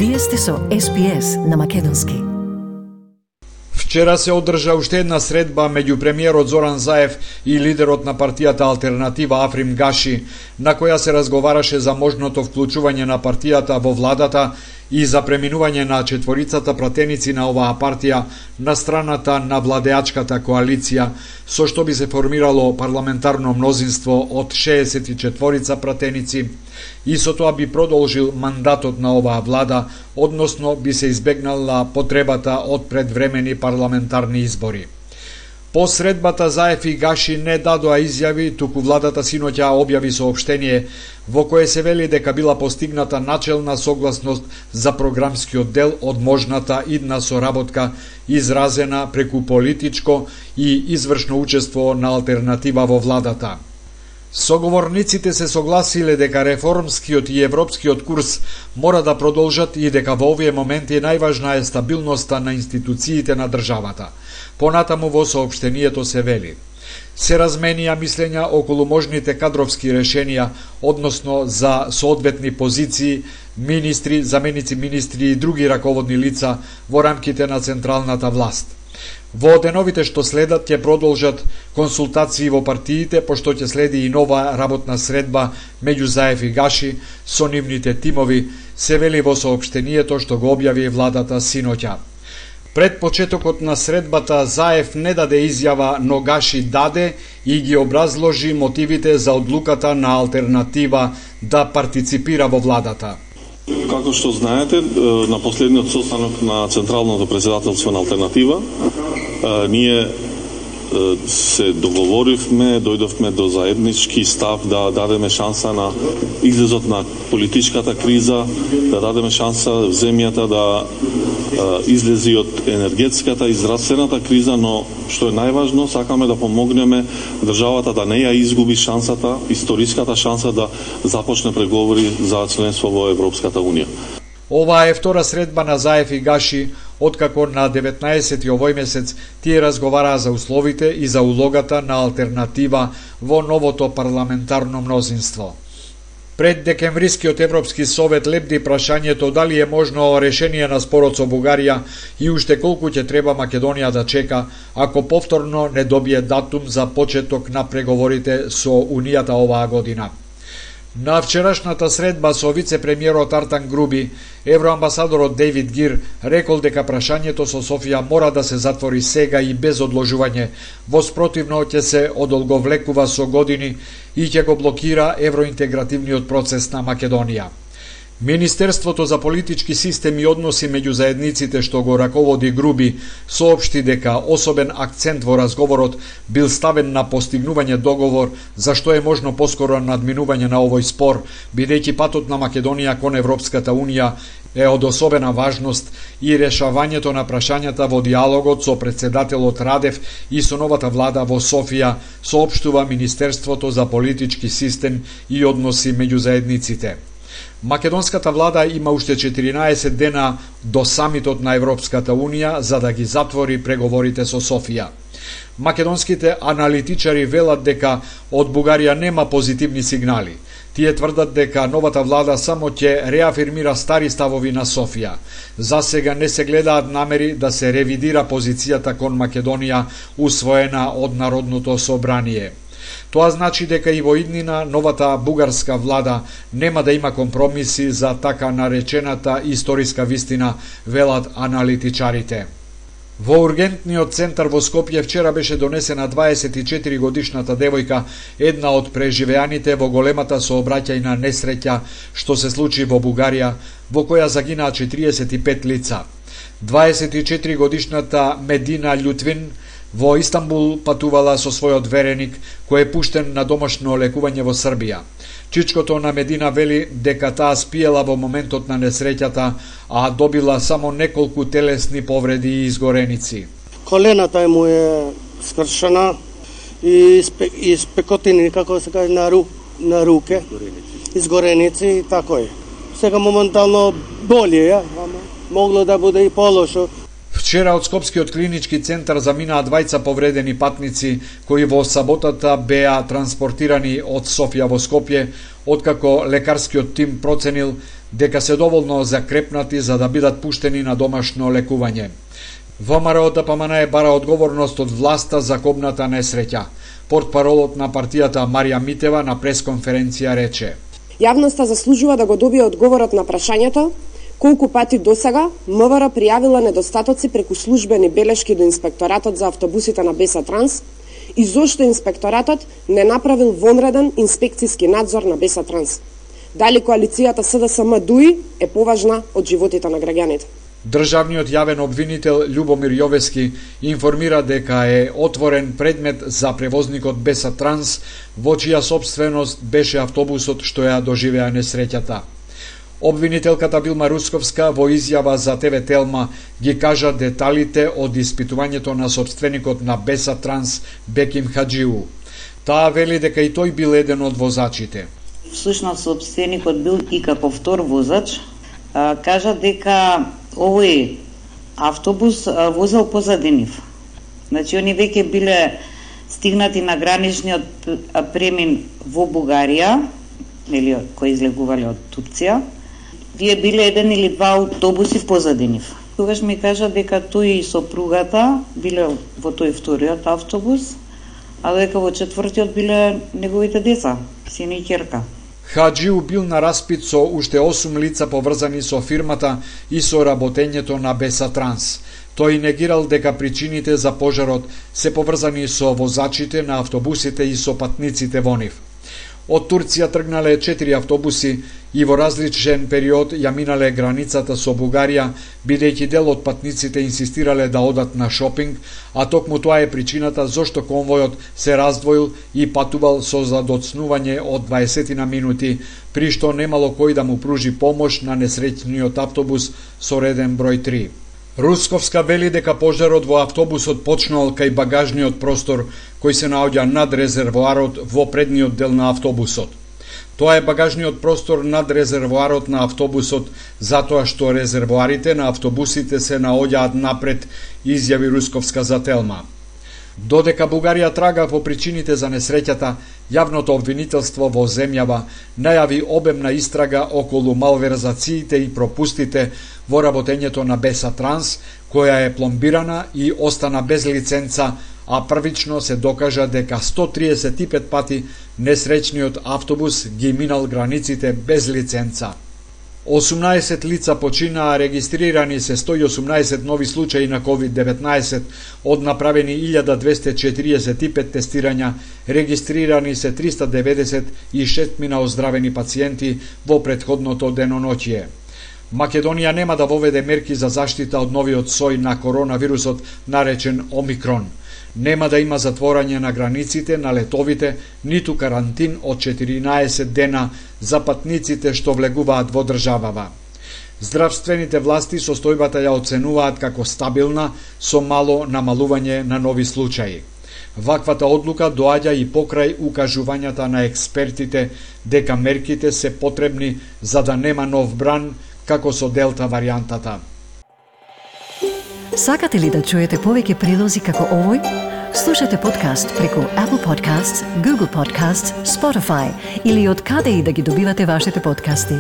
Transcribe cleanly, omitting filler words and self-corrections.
Вие сте со SPS на македонски. Вчера се одржа уште една средба меѓу премиерот Зоран Заев и лидерот на партијата Алтернатива Африм Гаши, на која се разговараше за можното вклучување на партијата во владата и за преминување на четворицата пратеници на оваа партија на страната на владеачката коалиција, со што би се формирало парламентарно мнозинство од 64 пратеници и со тоа би продолжил мандатот на оваа влада, односно би се избегнала потребата од предвремени парламентарни избори. По средбата Заев и Гаши не дадоа изјави, туку владата синоќа објави соопштение во кое се вели дека била постигната начелна согласност за програмскиот дел од можната идна соработка изразена преку политичко и извршно учество на Алтернатива во владата. Соговорниците се согласиле дека реформскиот и европскиот курс мора да продолжат и дека во овие моменти најважна е стабилноста на институциите на државата. Понатаму во соопштението се вели: се разменија мислења околу можните кадровски решенија, односно за соодветни позиции, министри, заменици министри и други раководни лица во рамките на централната власт. Во деновите што следат ќе продолжат консултации во партиите, пошто ќе следи и нова работна средба меѓу Заев и Гаши со нивните тимови, се вели во соопштението што го објави владата синоќа. Пред почетокот на средбата Заев не даде изјава, но Гаши даде и ги образложи мотивите за одлуката на Алтернатива да партиципира во владата. Како што знаете, на последниот состанок на Централното председателство на Алтернатива, ние се договоривме, дојдовме до заеднички став да дадеме шанса на излезот на политичката криза, да дадеме шанса земјата да излези од енергетската и здравствената криза, но што е најважно, сакаме да помогнеме државата да не ја изгуби шансата, историската шанса да започне преговори за членство во Европската Унија. Ова е втора средба на Заев и Гаши, откако на 19 овој месец тие разговараа за условите и за улогата на Алтернатива во новото парламентарно мнозинство. Пред декемврискиот Европски совет лепди прашањето дали е можно решение на спорот со Бугарија и уште колку ќе треба Македонија да чека ако повторно не добие датум за почеток на преговорите со Унијата оваа година. На вчерашната средба со вице-премиерот Артан Груби, евроамбасадорот Дейвид Гир рекол дека прашањето со Софија мора да се затвори сега и без одложување, во спротивно ќе се одолговлекува со години и ќе го блокира евроинтегративниот процес на Македонија. Министерството за политички систем и односи меѓу заедниците што го раководи Груби соопшти дека особен акцент во разговорот бил ставен на постигнување договор за што е можно поскоро надминување на овој спор, бидејќи патот на Македонија кон Европската Унија е од особена важност и решавањето на прашањата во диалогот со претседателот Радев и со новата влада во Софија, соопштува Министерството за политички систем и односи меѓу заедниците. Македонската влада има уште 14 дена до самитот на Европската Унија за да ги затвори преговорите со Софија. Македонските аналитичари велат дека од Бугарија нема позитивни сигнали. Тие тврдат дека новата влада само ќе реафирмира стари ставови на Софија. За сега не се гледаат намери да се ревидира позицијата кон Македонија усвоена од Народното собрание. Тоа значи дека и во иднина новата бугарска влада нема да има компромиси за така наречената историска вистина, велат аналитичарите. Во ургентниот центар во Скопје вчера беше донесена 24 годишната девојка, една од преживеаните во големата сообраќајна несреќа што се случи во Бугарија, во која загинаа 45 лица. 24 годишната Медина Љутвин во Истанбул патувала со својот вереник, кој е пуштен на домашно лекување во Србија. Чичкото на Медина вели дека таа спиела во моментот на несреќата, а добила само неколку телесни повреди и изгореници. Колената му е скршена и спекотини, како се каже, на руке, изгореници и тако е. Сега моментално боли, могло да буде и полошо. Вчера од Скопскиот клинички центар заминаа двајца повредени патници кои во саботата беа транспортирани од Софија во Скопје, откако лекарскиот тим проценил дека се доволно закрепнати за да бидат пуштени на домашно лекување. ВМРО ДПМН бара одговорност од власта за кобната несреќа. Портпаролот на партијата Марија Митева на пресконференција рече: Јавноста заслужува да го добие одговорот на прашањето колку пати досега МВР пријавила недостатоци преку службени белешки до Инспекторатот за автобусите на БЕСА Транс и зошто Инспекторатот не направил вонреден инспекцијски надзор на БЕСА Транс. Дали коалицијата СДСМ-ДУИ е поважна од животите на граѓаните? Државниот јавен обвинител Љубомир Јовески информира дека е отворен предмет за превозникот БЕСА Транс, во чија сопственост беше автобусот што ја доживеа несреќата. Обвинителката Билма Русковска во изјава за ТВ Телма ги кажа деталите од испитувањето на сопственикот на БЕСА Транс Беким Хаджиу. Таа вели дека и тој бил еден од возачите. Всушност сопственикот бил и како втор возач. Кажа дека овој автобус возел позади нив. Значи, они веќе биле стигнати на граничниот премин во Бугарија, или кои излегувале од Турција. Вие биле еден или два автобуси позади нив. Тогаш ми кажа дека тој и сопругата биле во тој вториот автобус, а дека во четвртиот биле неговите деца, син и ќерка. Хаджиу бил на распит со уште 8 лица поврзани со фирмата и со работењето на БЕСА Транс. Тој негирал дека причините за пожарот се поврзани со возачите на автобусите и со патниците во нив. Од Турција тргнале 4 автобуси и во различен период ја минале границата со Бугарија, бидејќи дел од патниците инсистирале да одат на шопинг, а токму тоа е причината зошто конвојот се раздвоил и патувал со задоцнување од 20 на минути, при што немало кој да му пружи помош на несреќниот автобус со реден број 3. Русковска вели дека пожарот во автобусот почнал кај багажниот простор кој се наоѓа над резервоарот во предниот дел на автобусот. Тоа е багажниот простор над резервоарот на автобусот, затоа што резервоарите на автобусите се наоѓаат напред, изјави Русковска за Телма. Додека Бугарија трага по причините за несреќата, јавното обвинителство во земјава најави обемна истрага околу малверзациите и пропустите во работењето на БЕСА Транс, која е пломбирана и остана без лиценца, а првично се докажа дека 135 пати несреќниот автобус ги минал границите без лиценца. 18 лица починаа, регистрирани се 118 нови случаи на COVID-19, од направени 1245 тестирања, регистрирани се 396 оздравени пациенти во претходното деноноќие. Македонија нема да воведе мерки за заштита од новиот сој на коронавирусот, наречен Омикрон. Нема да има затворање на границите, на летовите, ниту карантин од 14 дена за патниците што влегуваат во државава. Здравствените власти состојбата ја оценуваат како стабилна, со мало намалување на нови случаи. Ваквата одлука доаѓа и покрај укажувањата на експертите дека мерките се потребни за да нема нов бран, како со Делта варијантата. Сакате ли да чуете повеќе прилози како овој? Слушате подкаст преку Apple Podcasts, Google Podcasts, Spotify или од каде и да ги добивате вашите подкасти.